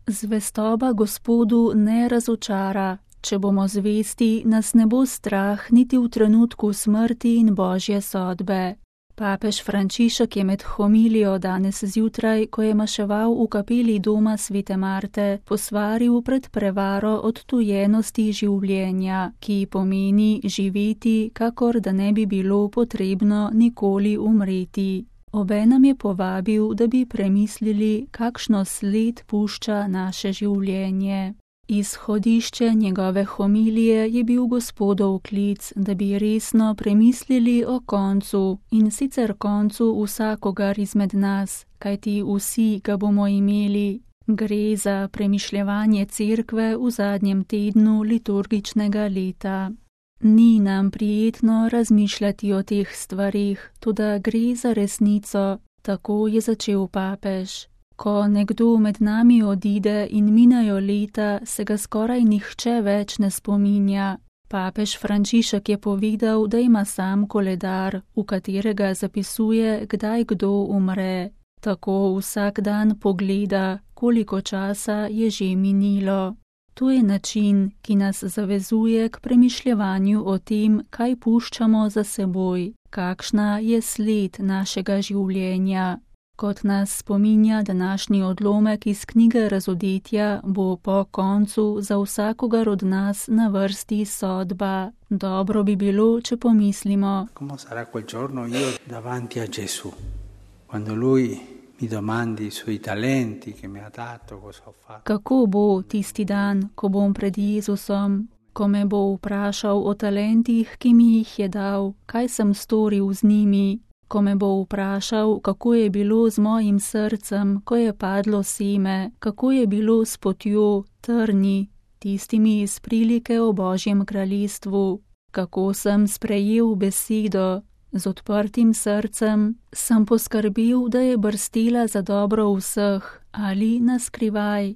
Zvestoba Gospodu ne razočara. Če bomo zvesti, nas ne bo strah niti v trenutku smrti in Božje sodbe. Papež Frančišek je med homilijo danes zjutraj, ko je maševal v kapeli doma Svete Marte, posvaril pred prevaro odtujenosti življenja, ki pomeni živeti, kakor da ne bi bilo potrebno nikoli umreti. Obenem je povabil, da bi premislili, kakšno sled pušča naše življenje. Izhodišče njegove homilije je bil Gospodov klic, da bi resno premislili o koncu, in sicer koncu vsakogar izmed nas, kajti vsi ga bomo imeli. Gre za premišljevanje cerkve v zadnjem tednu liturgičnega leta. Ni nam prijetno razmišljati o teh stvarih, toda gre za resnico, tako je začel papež. Ko nekdo med nami odide in minajo leta, se ga skoraj nihče več ne spominja. Papež Frančišek je povedal, da ima sam koledar, v katerega zapisuje, kdaj kdo umre. Tako vsak dan pogleda, koliko časa je že minilo. To je način, ki nas zavezuje k premišljevanju o tem, kaj puščamo za seboj, kakšna je sled našega življenja. Kot nas spominja današnji odlomek iz knjige Razodetja, bo po koncu za vsakogar od nas na vrsti sodba. Dobro bi bilo, če pomislimo. Come sarà quel giorno io davanti a Gesù, quando lui mi domandi sui talenti che mi ha dato, cosa ho fatto. Kako bo tisti dan, ko bom pred Jezusom, ko me bo vprašal o talentih, ki mi jih je dal, kaj sem storil z njimi, ko me bo vprašal, kako je bilo z mojim srcem, ko je padlo seme, kako je bilo s potjo, trni, tistimi iz prilike o Božjem kraljestvu, kako sem sprejel besedo, z odprtim srcem, sem poskrbel, da je brstela za dobro vseh ali na skrivaj.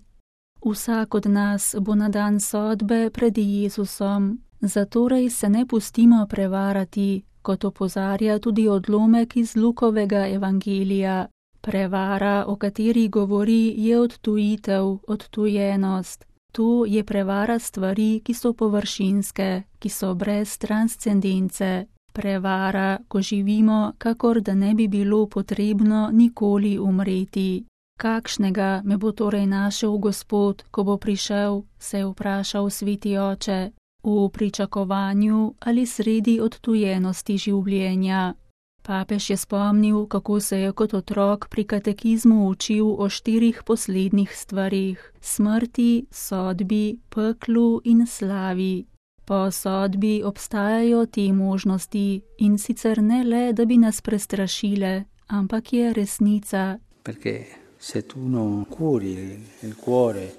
Vsak od nas bo na dan sodbe pred Jezusom, zatorej se ne pustimo prevarati, kot opozarja tudi odlomek iz Lukovega evangelija. Prevara, o kateri govori, je odtujitev, odtujenost. To je prevara stvari, ki so površinske, ki so brez transcendence. Prevara, ko živimo, kakor da ne bi bilo potrebno nikoli umreti. Kakšnega me bo torej našel Gospod, ko bo prišel, se je vprašal sveti oče, v pričakovanju ali sredi odtujenosti življenja. Papež je spomnil, kako se je kot otrok pri katekizmu učil o 4 poslednjih stvarih: smrti, sodbi, peklu in slavi. Po sodbi obstajajo te možnosti, in sicer ne le, da bi nas prestrašile, ampak je resnica. Perché se tu non curi il cuore,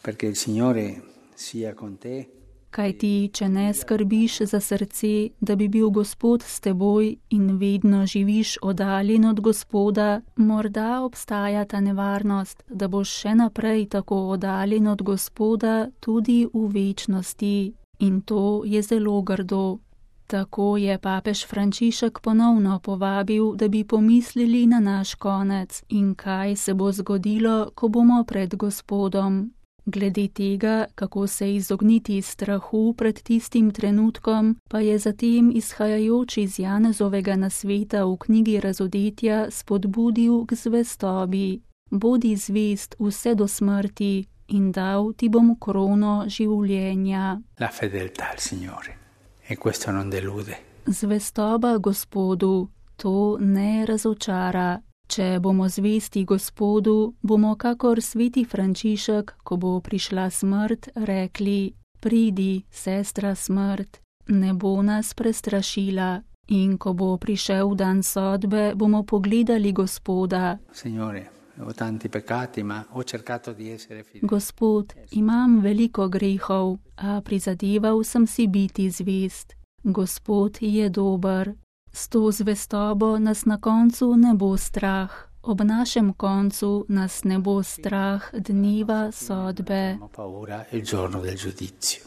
perché il Signore sia con te. Kaj ti, če ne skrbiš za srce, da bi bil Gospod s teboj in vedno živiš oddaljen od Gospoda, morda obstaja ta nevarnost, da boš še naprej tako oddaljen od Gospoda tudi v večnosti. In to je zelo grdo. Tako je papež Frančišek ponovno povabil, da bi pomislili na naš konec in kaj se bo zgodilo, ko bomo pred Gospodom. Glede tega, kako se izogniti strahu pred tistim trenutkom, pa je zatem izhajajoč iz Janezovega nasveta v knjigi Razodetja spodbudil k zvestobi. Bodi zvest vse do smrti in dal ti bom krono življenja. La fedeltà al Signore, e questo non delude. Zvestoba Gospodu, to ne razočara. Če bomo zvesti Gospodu, bomo kakor sveti Frančišek, ko bo prišla smrt, rekli: pridi, sestra smrt, ne bo nas prestrašila. In ko bo prišel dan sodbe, bomo pogledali Gospoda. Signore, ho tanti peccati, ma ho cercato di essere fedele. Gospod, imam veliko grehov, a prizadeval sem si biti zvest. Gospod je dober. S to zvestobo nas na koncu ne bo strah. Ob našem koncu nas ne bo strah dneva sodbe. Paura il giorno del giudizio.